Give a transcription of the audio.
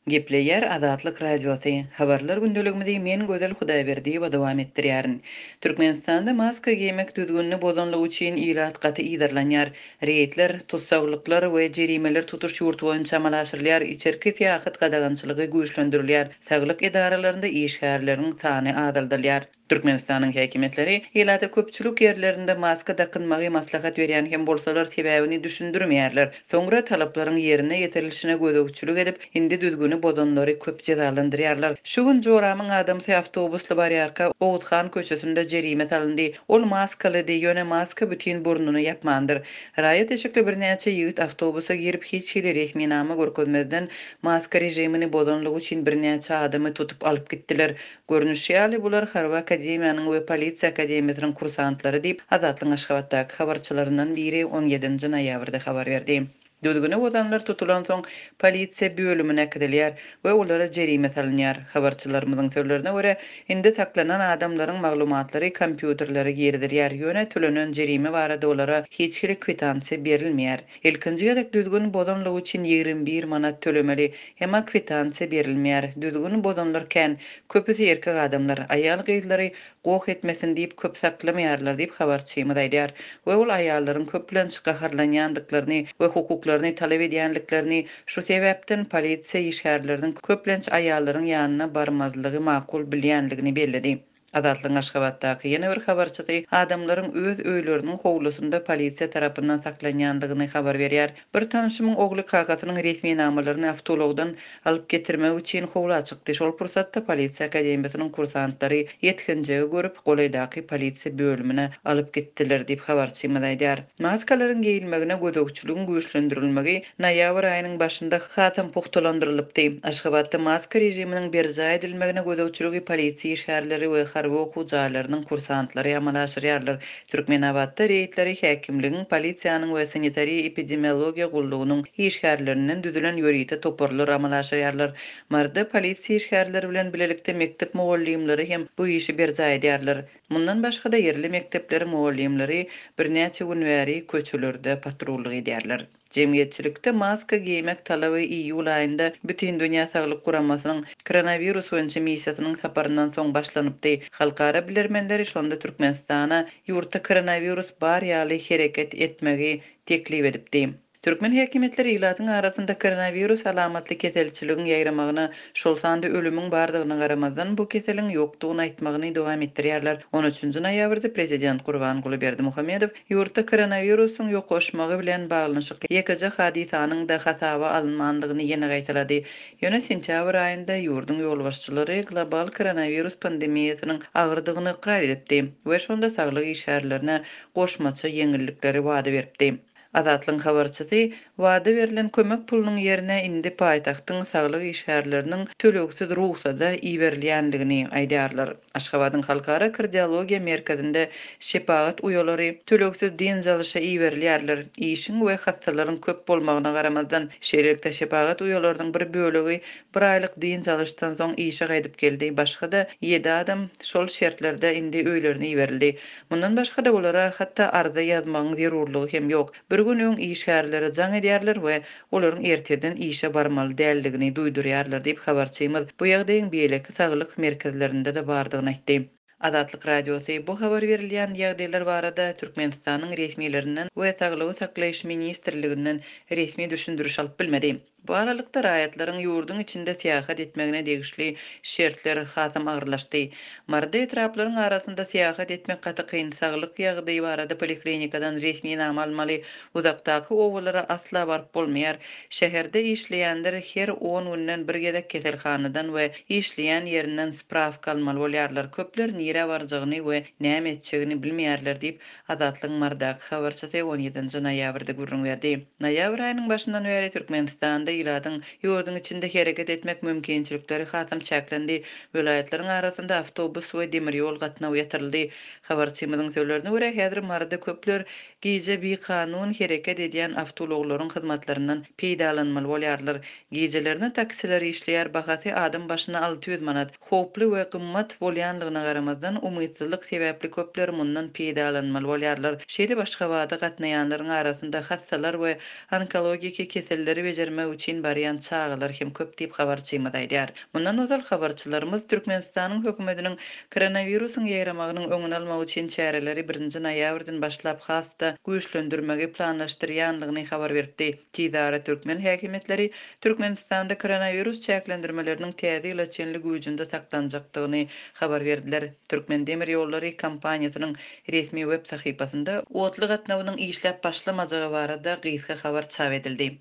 Gepleýär Azatlyk Radiosy, Habarlar gündeligimizi men Gözel Hudaýberdiýewa dowam etdirýärin. Türkmenistanda maska geýmek düzgünini bozanlygy üçin ilat gaty yzarlanýar. Reýdler, tussaglyklar we jerimeler tutuş ýurt boýunça amala aşyrylýar, içerki syýahat gadagançylygy güýçlendirilýär, saglyk edaralarynda işgärleriň sany azaldylýar. Türkmenistanyň häkimiýetleri ilata köpçülik ýerlerinde maska dakynmagy maslahat berýän hem bolsalar, sebäbini düşündirmeýärler. Soňra talaplaryň ýerine ýetirilişine gözegçilik edip, indi düzgüni bozanlary köp jezalandyrýarlar. Şu gün joramyň adamsy awtobusly barýarka, Oguzhan köçesinde jerime salyndy. Ol maskalydy, ýöne maska bütin burnuny ýapmandyr. Raýat eşikli birnäçe ýigit awtobusa girip, hiç hili resminama görkezmezden, maska režimini bozanlygy üçin birnäçe adamy tutup alyp gitdiler. Görnüşi ýaly, bular Harby akademiýanyň we Polisiýa akademiýasynyň kursantlary diýip, Azatlygyň Aşgabatdaky habarçylaryndan biri on ýedinji noýabrda habar berdi. Düzgüni bozanlar tutulansoň, polisiýa bölümine äkidilýär we olara jerime salynýar. Habarçylarymyzyň sözlerine görä, indi saklanan adamlaryň maglumatlary kompýuterlere girizilýär, ýöne tölenen jerime barada olara hiç hili kwitansiýa berilmeýär. Ilkinji gezek düzgün bozanlygy üçin 21 manat tölemeli. Emma kwitansiýa berilmeýär. Düzgün bozanlar kän. Köpüsi erkek adamlar. Aýal-gyzlary goh etmesin diýip köp saklamaýarlar diýip habarçymyz aýdýar. We ol aýallaryň köplenç gaharlanýandyklaryny we hukuklaryny talap edýänliklerini, şu sebäpden polisiýa işgärleriniň köplenç aýallaryň ýanyna barmazlygy makul bilýänligini belledi. Azatlygyň Aşgabatdaky ýene bir habarçysy adamlaryň öz öýleriniň howlusynda polisiýa tarapyndan saklanýandygyny habar berýär. Bir tanşymyň ogly kakasynyň resminamalaryny awtoulagdan alyp getirmek üçin howla çykdy. Şol pursatda polisiýa akademiýasynyň kursantlary ýetginjegi görüp, golaýdaky polisiýa bölümine alyp gitdiler diýip, habarçymyz aýdýar. Maskalaryň geýilmegine gözegçiligiň güýçlendirilmegi noýabr aýynyň başynda hasam pugtalandyrylypdy. Aşgabatda maska režiminiň berjaý edilmegine gözegçiligi polisiýa işgärleri we harby okuw jaýlarynyň kursantlary amala aşyrýarlar. Türkmenabatda reýdleri häkimligiň, polisiýanyň we sanitariýa-epidemiologiýa gullugynyň işgärlerinden düzülen ýörite toparlar amala aşyrýarlar. Maryda polisiýa işgärleri bilen bilelikde mekdep mugallymlary hem bu işi berjaý edýärler. Mundan başga-da ýerli mekdepleriň mugallymlary birnäçe gün bäri köçelerde patrullyk edýärler. Jemgyýetçilikde maska geýmek talaby iýul aýynda Bütindünýä Saglyk Guramasynyň koronawirus boýunça missiýasynyň saparyndan soň başlanypdy. Halkara bilermenleri şonda Türkmenistana ýurtda koronawirus bar ýaly hereket etmegi teklip edipdi. Türkmen häkimiýetleri ilatyň arasynda koronawirus alamatly keselçiligiň ýaýramagyna, şol sanda ölümiň bardygyna garamazdan, bu keseliň ýokdugyny aýtmagyny dowam etdirýärler. On üçünji noýabrda prezident Gurbanguly Berdimuhamedow ýurtda koronawirusyň ýokaşmagy bilen baglanyşykly ýekeje hadysanyň-da hasaba alynmandygyny ýene gaýtalady. Ýöne sentýabr aýynda ýurduň ýolbaşçylary global koronawirus pandemiýasynyň agyrdygyny ykrar edipdi we şonda saglyk işgärlerine goşmaça ýeňillikleri wada beripdi. Azatlygyň habarçysy wada berlen kömek pulunyň ýerine indi paýtagtyň saglyk işgärleriniň tölegsiz rugsada iberilýändigini aýdýarlar. Aşgabadyň Halkara kardiologiýa merkezinde şepagat uýalary tölegsiz dynç alyşa iberilýärler. Işiň we hassalaryň köp bolmagyna garamazdan, şeýlelikde şepagat uýalarynyň bir bölegi bir aýlyk dynç alyşdan soň işe gaýdyp geldi, başga-da ýedi adam şol şertlerde indi öýlerine iberildi. Mundan başga-da olara hatda arza ýazmagyň zerurlygy hem ýok. Bir gün öň işgärlere jaň edýärler we olaryň ertirden işe barmaly däldigini duýdurýarlar diýip, habarçymyz bu ýagdaýyň beýleki saglyk merkezlerinde-de bardygyny aýtdy. Azatlyk Radiosy bu habar berilýän ýagdaýlar barada Türkmenistanyň resmilerinden we Saglygy saklaýyş ministrliginden resmi düşündiriş alyp bilmedi. Bu aralykda, raýatlaryň ýurduň içinde syýahat etmegine degişli şertler hasam agyrlaşdy. Maryda etraplaryň arasynda syýahat etmek gaty kyn, saglyk ýagdaýy barada poliklinikadan resminama almaly, uzakdaky obalara asla baryp bolmaýar. Şäherde işleýänler her on günden bir gezek keselhanadan we işleýän ýerinden sprawka almaly bolýarlar. Köpler nirä barjagyny we näme etjegini bilmeýärler diýip, Azatlygyň Marydaky habarçysy on ýedinji noýabrda gürrüň berdi. Noýabr aýynyň başyndan bäri Türkmenistanda ilatyň ýurduň içinde hereket etmek mümkinçilikleri hasam çäklendi. Welaýatlaryň arasynda awtobus we demir ýol gatnawy ýatyryldy. Habarçymyzyň sözlerine görä, häzir Maryda köpler gije bikanun hereket edýän awtoulaglaryň hyzmatlaryndan peýdalanmaly bolýarlar. Gijelerine taksiler işleýär, bahasy adam başyna 600 manat. Howply we gymmat bolýanlygyna garamazdan, umytsyzlyk sebäpli köpler mundan peýdalanmaly bolýarlar. Şeýdip, Aşgabada gatnaýanlaryň arasynda hassalar we onkologiki keselleri bejermek üçin. üçin barýan çagalar hem köp diýip, habarçymyz aýdýar. Mundan ozal habarçylarymyz Türkmenistanyň hökümetiniň koronawirusyň ýaýramagynyň öňüni almak üçin çäreleri birinji noýabrdan başlap has-da güýçlendirmegi planlaşdyrýanlygyny habar beripdi. Tizara türkmen häkimiýetleri Türkmenistanda koronawirus çäklendirmeleriniň täze ýyla çenli güýjünde saklanjakdygyny habar berdiler. Türkmendemirýollary kompaniýasynyň resmi web sahypasynda otly gatnawynyň işläp başlamajagy barada gysga habar çap edildi.